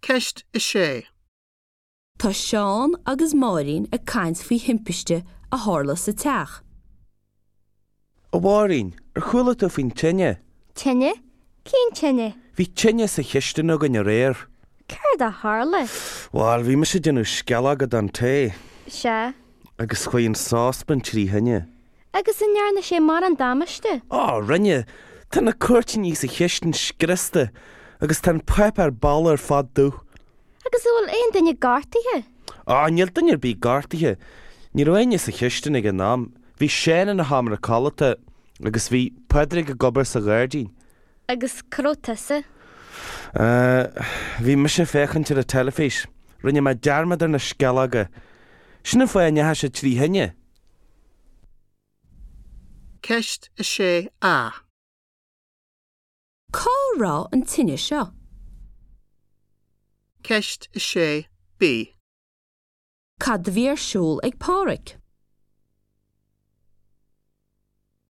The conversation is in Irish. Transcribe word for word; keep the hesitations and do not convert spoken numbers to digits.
Ceist a sé. Tá Seán agus Máirín ag caint faoi thimpiste a tharla sa teach. A Mháirín, ar chuala tú faoin tine? Tine? Cén tine? Bhí tine sa chistin againn aréir. Céard a tharla? Bhuel, bhí mise ag déanamh sceallóga don tae. Sea. Agus chuaigh an sáspan trí thine. Agus an ndearna sé mórán damáiste? Á, rinne, Tá na cuirtíní sa chistin scriosta agus tá an páipéar balla ar fad dubh. Agus an bhfuil aon duine gortaithe? Á, níl duine ar bith gortaithe. Ní raibh éinne sa chistin ag an am. Bhí Seán ina sheomra codlata agus bhí Pádraig ag obair sa ghairdín. Agus cá raibh tusa? Bhí mise ag féachaint ar an teilifís. Rinne mé dearmad ar na sceallóga. Sin an fáth a ndeachaigh sé trí thine. Ceist a sé A. Cá raibh an tine seo? Ceist a sé B. Cad a bhí ar siúl ag Pádraig?